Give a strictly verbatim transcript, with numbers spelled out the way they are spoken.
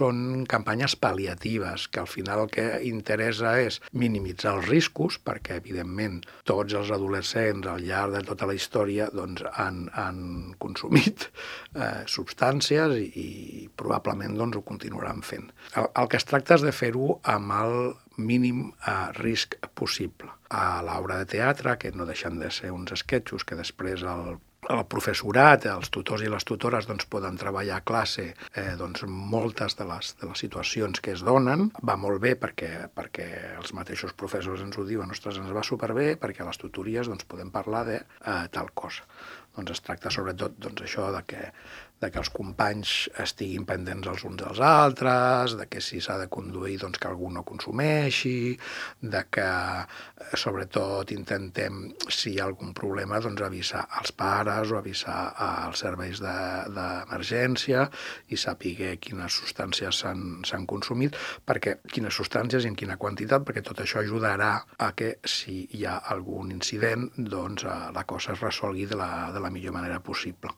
són campanyes pal·liatives, que al final el que interessa és minimitzar els riscos, perquè, evidentment, tots els adolescents al llarg de tota la història doncs, han, han consumit eh, substàncies i, i probablement doncs, ho continuaran fent. El, el que es tracta és de fer-ho amb el mínim eh, risc possible. A l'obra de teatre, que no deixen de ser uns esquetxos que després el el professorat, els tutors i les tutores doncs, poden treballar a classe eh, doncs, moltes de les, de les situacions que es donen. Va molt bé perquè, perquè els mateixos professors ens ho diuen, ostres, ens va superbé, perquè a les tutories doncs, podem parlar de eh, tal cosa. Doncs es tracta sobretot doncs, això de que, de que els companys estiguin pendents els uns dels altres, de que si s'ha de conduir doncs, que algú no consumeixi, de que sobretot intentem, si hi ha algun problema, doncs, avisar als pares o avisar als serveis d'emergència i saber quines substàncies s'han consumit, perquè quines substàncies i en quina quantitat, perquè tot això ajudarà a que si hi ha algun incident, doncs, la cosa es resolgui de la, de la millor manera possible.